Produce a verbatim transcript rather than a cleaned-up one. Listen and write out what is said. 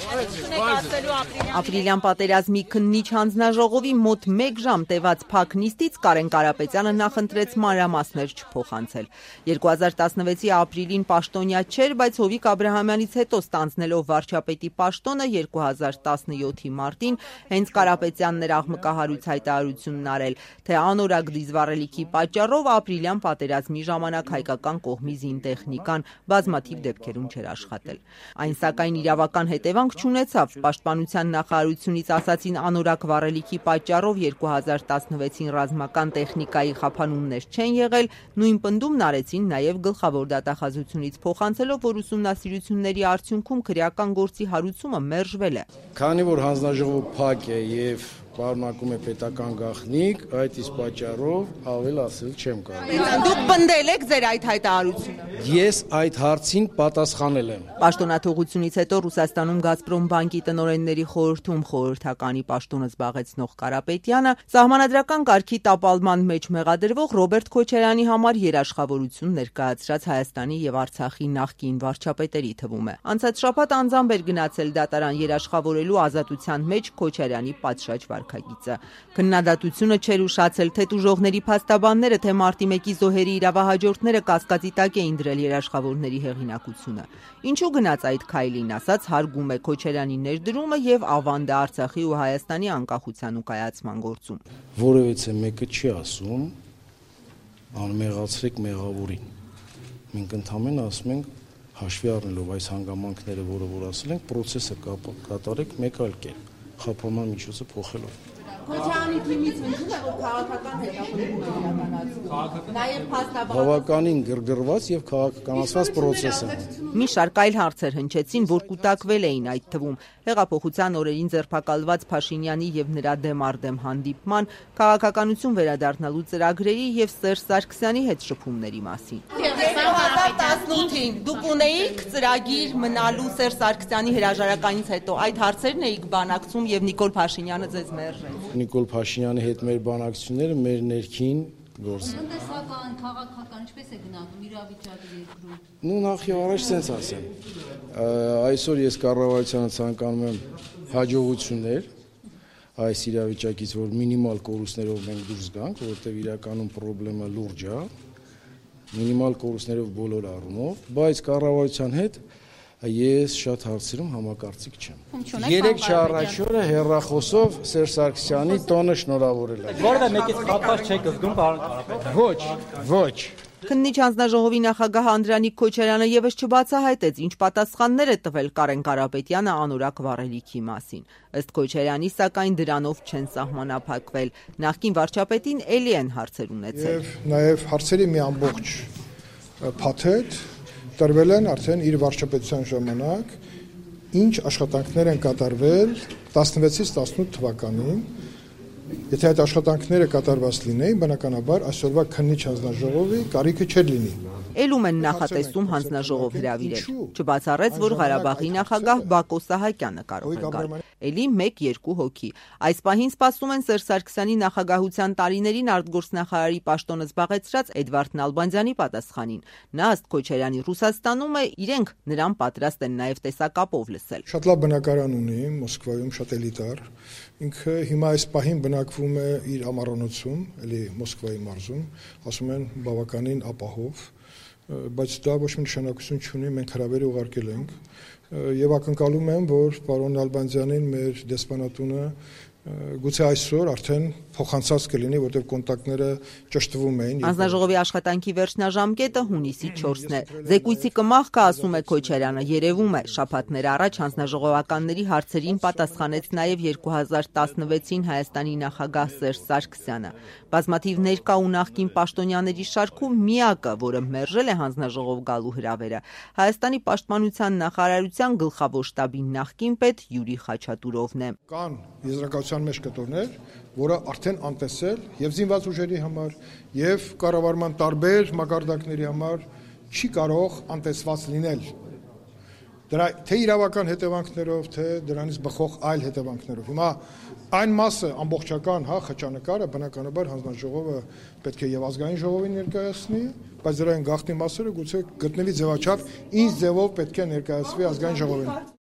Ապրիլյան պատերազմի քննիչ հանձնաժողովի մոտ մեկ ժամ տևած փակ նիստից Կարեն Կարապետյանը նախընտրեց մանրամասներ չփոխանցել։ երկու հազար տասնվեցի ապրիլին պաշտոնյա չէր, բայց Հովիկ Աբրահամյանից հետո ստանձնելով վարչապետի պաշտոնը երկու հազար տասնյոթի մարտին հենց Կարապետյանն էր աղմկահարույց հայտարարությունն արել, թե անորակ դիզվառելիքի պատճառով ապրիլյան պատերազմի ժամանակ հայկական կողմի զինտեխնիկան բազմաթիվ դեպքերում չէր աշխատել։ Այն սակայն իրավական հետևանք չունեցավ։ Պաշտպանության նախարարությունից ասացին անորակ վառելիքի պատճառով երկու հազար տասնվեցին ռազմական տեխնիկայի խափանումներ չեն եղել, նույն պնդումն արեցին նաև գլխավոր դատախազությունից փոխանցելով, որ ուսումնասիրությունների արդյունքում քրեական գործի հարուցումը մերժվել է։ Քանի որ հանձնաժողովը փակ է եւ պարունակում է պետական գաղտնիք, այդ իսկ պատճառով ավել ասել չեմ կարող։ Դուք պնդել եք ձեր այդ հայտարարությունը։ Ես այդ հարցին պատասխանել եմ։ Պաշտոնաթողությունից հետո Ռուսաստանում Գազպրոմ բանկի տնօրենների խորհրդում խորհրդականի պաշտոնը զբաղեցնող Կարապետյանը սահմանադրական կարգի տապալման մեջ մեղադրվող Ռոբերտ Քոչարյանի համար երաշխավորություն ներկայացրած Հայաստանի եւ Արցախի նախկին վարչապետերի թվում է։ Անցած շաբաթ անձամբ էր գնացել դատարան երաշխավորելու ազատության մեջ Քոչարյանի պատշաճ վարքագիծը։ Քննադատությունը չէր ուշացել թե տուժողների փաստաբանները, թե մարտի մեկի զոհերի իրավահաջորդները կասկածի տակ էին դրել երաշխավորների հեղինակությունը։ Ինչու գնաց այդ քայլին, ասած հարգում է Քոչարյանի ներդրումը եւ ավանդը Արցախի ու Հայաստանի անկախության ու կայացման գործում։ Որևէ մեկը չի ասում անմեղացրեք մեղավորին։ Մենք ընդհանրապես ասում ենք հաշվի առնելով այս հանգամանքները, որը որ ասել ենք, process-ը կատարեք մեկ այլ կերպ, խափանման միջոցը փոխելով։ Քոչարյանի թիմից հնչում է, որ քաղաքական հետապնդում է իրականացվում։ Նաև փաստաբան բավականին գրգռված եւ քաղաքականացված process է։ Մի շարք այլ հարցեր հնչեցին, որ կուտակվել էին այդ թվում հեղափոխության օրերին ձերբակալված Փաշինյանի եւ նրա դեմ արդեմ հանդիպման, քաղաքականություն վերադառնալու ծրագրերի եւ Սերժ Սարգսյանի հետ շփումների մասին։ երկու հազար տասնութին դուք ունեիք ծրագիր մնալու Սերժ Սարգսյանի հրաժարականից հետո այդ հարցերն էիք բանակցում եւ Նիկոլ Փաշինյանը ձեզ մերժեց։ Նիկոլ Փաշինյանի հետ մեր բանակցությունները մեր ներքին գործ են։ Տնտեսական, քաղաքական, ինչպես է գնահատում իրավիճակը երկրում։ Ну նախ եւ առաջ sense ասեմ։ Այսօր ես կառավարությանը ցանկանում եմ հաջողություններ այս իրավիճակից, որ մինիմալ կորուստներով մենք դուրս գանք, որովհետեւ իրականում խնդրեմը լուրջ է, մինիմալ կորուստներով բոլոր առումով, բայց կառավարության հետ ես շատ հարցերում համակարծիք չեմ։ Երեք չառաջ օրը հեռախոսով Սերժ Սարգսյանի տոնը շնորհավորել եմ։ Որտե մեկից խափած չեք զգում, պարոն Կարապետյան։ Ոչ, ոչ։ Քննիչ հանձնաժողովի նախագահ Անդրանիկ Քոչարյանը եւս չբացահայտեց, ինչ պատասխաններ է տվել Կարեն Կարապետյանը անորակ վառելիքի մասին։ Ըստ Քոչարյանի, սակայն դրանով չեն սահմանափակվել։ Նախկին վարչապետին էլի են հարցեր ունեցել։ Եվ նաեւ հարցերի մի ամբողջ փաթեթ տրվել են արդեն իր վարչապետության ժամանակ, ինչ աշխատանքներ են կատարվել տասնվեցից տասնութ թվականին, եթե այդ աշխատանքները կատարված լինեին, բնականաբար այսօրվա քննիչ հանձնաժողովի կարիքը չէր լինի։ Էլում են նախատեսում հանձնաժողով հրավիրել։ Չբացառեց, որ Ղարաբաղի նախագահ Բակո Սահակյանը կարող է գալ։ Էլի մեկ-երկու հոգի։ Այս պահին սպասում են Սերժ Սարգսյանի նախագահության տարիներին արտգործնախարարի պաշտոնը զբաղեցրած Էդվարդ Նալբանդյանի պատասխանին։ Նա ըստ Քոչարյանի Ռուսաստանում է, իրենք նրան պատրաստ են նաև տեսակապով լսել։ Շատ լավ բնակարան ունի Մոսկվայում, շատ էլիտար։ Ինքը հիմա այս պահին բնակվում է իր ամառանոցում, էլի Մոսկվայի մարզում, ասում են բավականին ապահով, բայց դա ոչ մի նշանակություն չունի, մենք հրավեր ուղարկել ենք եւ ակնկալում եմ, որ պարոն Նալբանդյանին մեր դեսպանատունը գուցե այսօր արդեն փոխանցած կլինի, որտեղ կոնտակտները ճշտվում էին։ Հանձնաժողովի աշխատանքի վերջնաժամկետը հունիսի չորսն է։ Զեկույցի կմախքը, ասում է Քոչարյանը, երևում է։ Շաբաթներ առաջ հանձնաժողովականների հարցերին պատասխանեց նաև երկու հազար տասնվեցին Հայաստանի նախագահ Սերժ Սարգսյանը։ Բազմաթիվ ներկա ու նախկին պաշտոնյաների շարքում միակը, որը մերժել է հանձնաժողով գալու հրավերը, Հայաստանի պաշտպանության նախարարության գլխավոր շտաբի նախկին պետ Յուրի Խաչատուրովն է։ Կան եզրակացության մեջ կտորներ, որը արդեն անտեսել եւ զինված ուժերի համար եւ կառավարման տարբեր մակարդակների համար չի կարող անտեսված լինել։ Դրա թե իրավական հետևանքներով, թե դրանից բխող այլ հետևանքներով։ Հիմա այն մասը ամբողջական, հա, խճանկարը բնականաբար հանձնաժողովը պետք է եւ ազգային ժողովին ներկայացնի, բայց դրա այն գաղտնի մասերը գուցե գտնվի ձևաչափ, ինչ ձևով պետք է ներկայացվի ազգային ժողովին։